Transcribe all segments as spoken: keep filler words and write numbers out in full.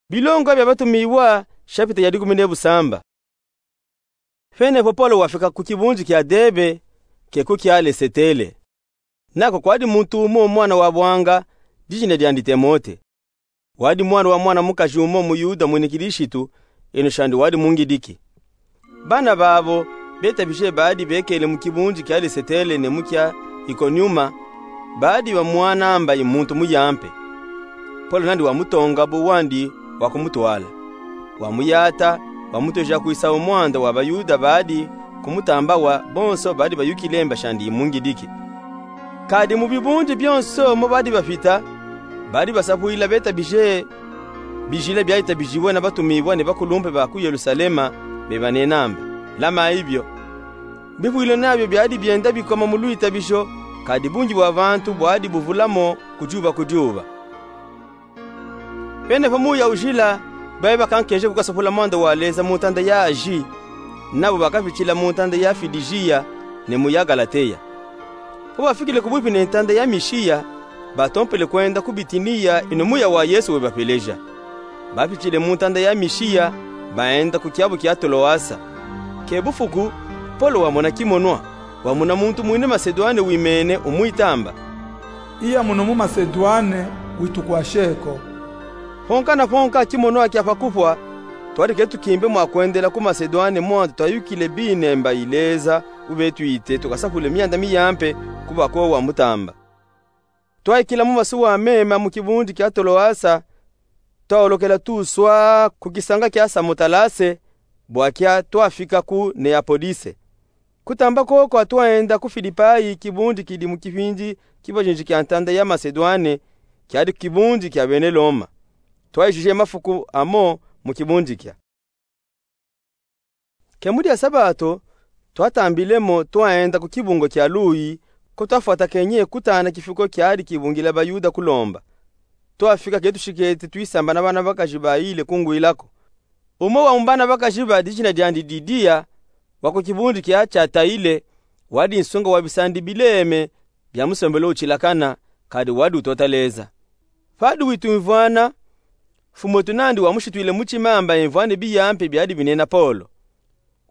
Bilongwa bia Batumiwa, shapita ya dikumi ne busamba. Fene fo Polo wafika ku kibunji kia Debe, ke ku kia Lesetele. Nako kwadi muntu umo mwana wa bwanga, dijina diandi Temote. Wadi mwana wa mwana mukaji umo muYuda mwini Kilishitu, eno shandi wadi mungidiki. Bana babo, betabije badi bekele mu kibunji kia Lesetele ne mu kia Ikoniuma, badi bamwanamba i muntu muyampe. Polo nandi wamutonga bu wandi wakumutwala. Wamuyata, wamutweja kwisa u mwanda wa baYuda badi kumutambawa, bonso badi bayukile mba shandi i mungidiki. Kadi mu bibunji bionso mo badi bafita, badi basapwila betabije bijila biatabijibwe na Batumiwa ne bakulumpe ba ku Yelusalema, bebanenamba. Lama ibio, bivwilo nabio biadi bienda bikoma mu lwitabijo, kadi bungi bwa bantu bwadi buvula mo ku juba ku juba. Fene fo muya ujila, bayi bakankeje kukasapula mwanda wa Leza mu ntanda ya Aji, nabo bakafitila mu ntanda ya Fidijiya ne mu ya Galateya. Fo bafikile kubupi ne ntanda ya Mishiya, batompele kwenda ku Bitiniya, ino muya wa Yesu webapeleja. Bafitile mu ntanda ya Mishiya, baenda ku kiabu kia Toloasa. Ke bufuku, Polo wamona kimonwa, wamona muntu mwini Masedwane wimene umwitamba: Iya muno mu Masedwane, witukwashe ko. Fonka na fonka kimonwa kia pa kufwa, twadi ke tukimbe mwa kwendela ku Masedwane mwanda twayukile bine mba i Leza ubetwite tukasapule mianda miyampe ku bakowa mutamba. Twayikila mu masuwa mema mu kibunji kia Toloasa, twaolokela tuswa ku kisanga kia Samotalase, bwakia twafika ku Neapolise. Kutamba koko twaenda ku Filipayi, kibunji kidi mu kipindi kibajinji kia ntanda ya Masedwane, kiadi kibunji kia bene Loma. Twayijije mafuku amo mu kibunji kia. Ke mu dia Sabato, twatambile mo twaenda ku kibungo kia Luyi, ko twafwatakenye kutana kifuko kiadi kibungila baYuda kulomba. Twafika ke tushikete twisamba na bana bakaji bayile kungwila ko. Umo wa mu bana bakaji ba dijina diandi Didiya, wa ku kibunji kia Tiatayile, wadi nsunga wa bisandi bileme bia musombelo utilakana, kadi wadi utota Leza. Padi witwimvwana, Mfumu wetu nandi wamushitwile mutima mba emvwane biyampe biadi binena Polo.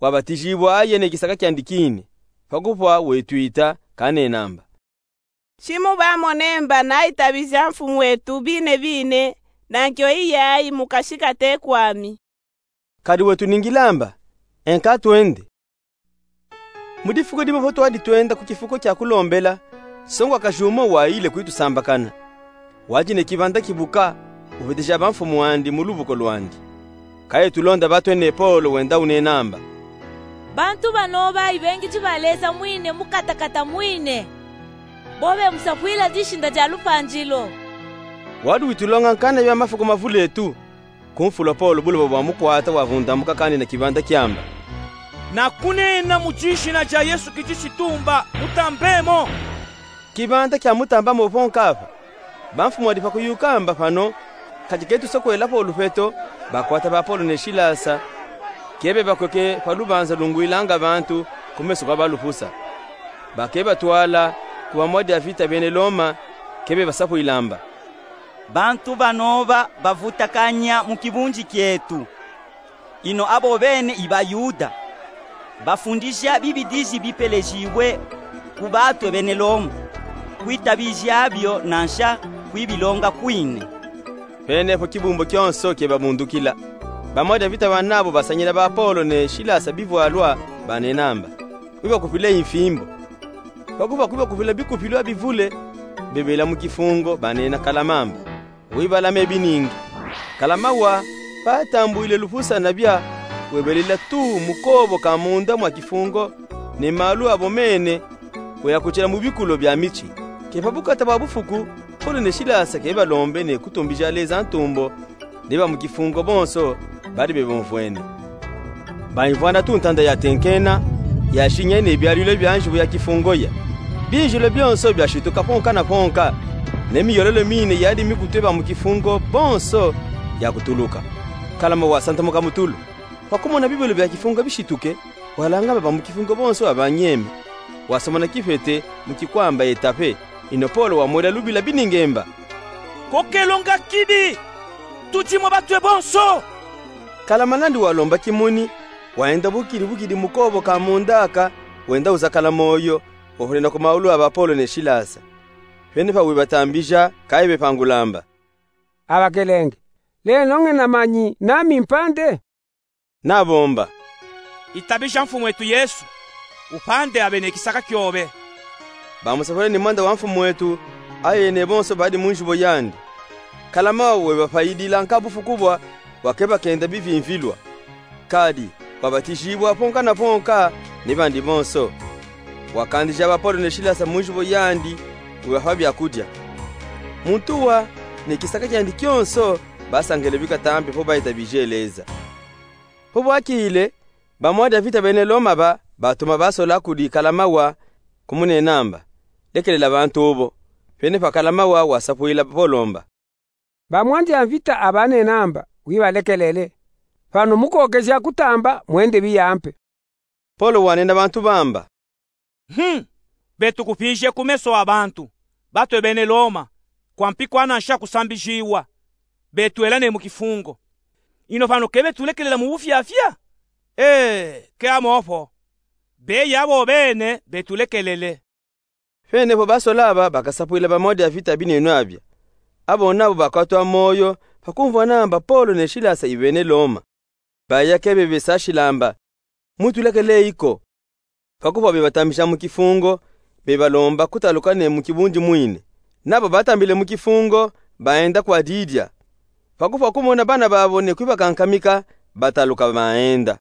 Wabatijibwa aye ne kisaka kiandi kine, pa kufwa wetwita kanenamba: Ti mubamone mba nayitabija Mfumu wetu bine bine, na nkyo iyayi mukashikate kwami. Kadi wetu ningilamba, enka twende. Mu difuku dimo fo twadi twenda ku kifuko kia kulombela, songwakaji umo wayile kwitusambakana. Wadi ne kibanda kibuka, ubeteja bamfumu andi mu lubuko lwandi. Kaye tulonda batwe ne Polo wenda unenamba: Bantu banoba ibengiji ba Leza mwine mu katakata mwine. Bobe musapwila dishinda dia lupanjilo. Wadi witulonga nkana bia mafuku mavule etu. Kumfula Polo buloba bwamukwata wavundamuka kanina kibanda kiamba: Na kunena mu dijina dia Yesu Kilisitu mba mutambemo. Kibanda kiamutambamo fo nkafa. Bamfumu badi pa kuyuka mba: Pano, kadi ke tusokwela fo lufeto, bakwata ba Polo ne Silasa, ke bebakweke pa lubanza lungwilanga bantu ku meso kwa balufusa. Ba ke batwala ku bamwadi bavita bene Loma, ke bebasapwila mba: Bantu banoba bavutakanya mu kibunji kietu. Ino abo bene i baYuda, bafundija bibidiji bipelejibwe ku batwe bene Loma, kwitabija bio nansha kwibilonga kwine. Fene fo kibumbo kionso ke babundukila. Bamwadi bavita banabo basañila ba Polo ne Silasa bivwalwa, banenamba: Wibakupile imfimbo. Pa kufwa kwibakupila bikupilwa bivule, bebela mu kifungo, banena Kalama mba: Wibalame biningi. Kalama wa, patambwile lufusa na bia, webelela tuu mu kobo ka munda mwa kifungo, ne malu abo mene, weyakutila mu bikulo bia miti. Ke pa bukata bwa bufuku, Polo ne Silasa ke balombe ne kutumbija Leza ntumbo, ne ba mu kifungo bonso badi bebomfwene. Baimvwana tu ntanda yatenkena, yashinya ne bialwilo bia njubu ya kifungo ya. Binjilo bionso biashituka fonka na fonka, ne miyololo mine yadi mikutwe ba mu kifungo bonso yakutuluka. Kalama wasantamuka mu tulu. Pa kumona bibelo bia kifungo bishituke, walangama ba mu kifungo bonso babanyeme. Wasomona kifete mu kikwamba etape, ino Polo wamwela lubila biningi mba: Ko kelonga kidi! Tudi mwa batwe bonso. Kala manandi walomba kimuni, waenda bukidi bukidi mu kobo ka munda aka, wenda uzakala moyo, wahunina ku maulu a ba Polo ne Silasa. Pene pa wibatambija, ka ibe pa ngulamba. Abakelenge, leno ngena manyi nami mpande? Nabomba. Itabija Mfumu etu Yesu, upande abe ne kisaka kiobe. Bamusapule ni mwanda wa Mfumu etu, aye ne bonso badi mu njubo yandi. Kala mawa webapayidila nkabufu kubwa, wakeba kenda bivimvilwa. Kadi, wabatijibwa ponka na ponka, ni bandi bonso. Wakandija ba Polo ne Silasa mu njubo yandi, webapa byakudia. Muntu wa, ne kisaka kiandi kionso, basangele bikatampe po bayitabije leza. Po bwakile, ba mwandi a mvita bene Loma ba, batuma ba sola kudi kala mawa, kumunenamba: Lekelela bantu bo. Pene pa kala mawa wasapwila Polo mba: Ba mwandi a mvita abanenamba wibalekelele. Pano mukokeja kutamba, mwende biyampe. Polo wanena bantu ba mba: Hmm, betu kupije ku meso a bantu, batwe bene Loma, kwa mpikwa nansha kusambijiwa, betwela ne mu kifungo. Ino pano ke betulekelela mu bufyafya? Ee, ke amo po. Beya bo bene betulekelele. Pene po ba sola aba bakasapwila ba mwandi a mvita binenwa abya. Abo nabo bakatwa moyo pa kumvwa namba Polo ne Silasa i bene Loma. Baya ke bebesashila mba: Mutulekele iko. Pa kupwa bebatambija mu kifungo, bebalomba kutaluka ne mu kibundi mwine. Nabo batambile mu kifungo, baenda kwa Lidia. Pa kupwa kumona bana babo ne kwibakankamika, bataluka baenda.